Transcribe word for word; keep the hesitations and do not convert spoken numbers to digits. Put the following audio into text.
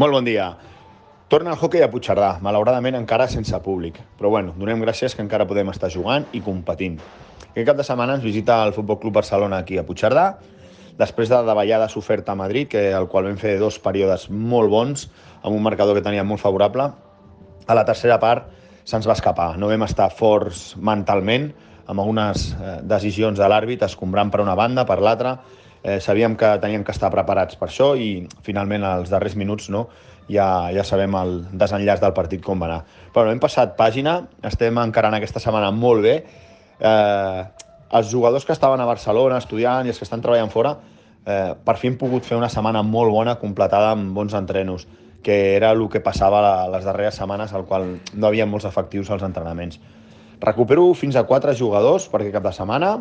Molt bon dia. Torna el hoquei a Puigcerdà, malauradament encara sense públic. Però bueno, donem gràcies que encara podem estar jugant i competint. Aquest cap de setmana ens visita el Futbol Club Barcelona aquí a Puigcerdà, després de la davallada s'oferta a Madrid, que, el qual vam fer dos períodes molt bons, amb un marcador que tenia molt favorable. A la tercera part se'ns va escapar. No vam estar forts mentalment, amb algunes eh, decisions de l'àrbit, escombrant per una banda, per l'altra. Eh, sabíem que teníem que estar preparats per això i finalment als darrers minuts no, ja, ja sabem el desenllaç del partit com va anar. Però hem passat pàgina, estem encarant aquesta setmana molt bé. Eh, els jugadors que estaven a Barcelona estudiant i els que estan treballant fora, eh, per fi hem pogut fer una setmana molt bona, completada amb bons entrenos, que era el que passava les darreres setmanes, al qual no hi havia molts efectius als entrenaments. Recupero fins a quatre jugadors per aquest cap de setmana,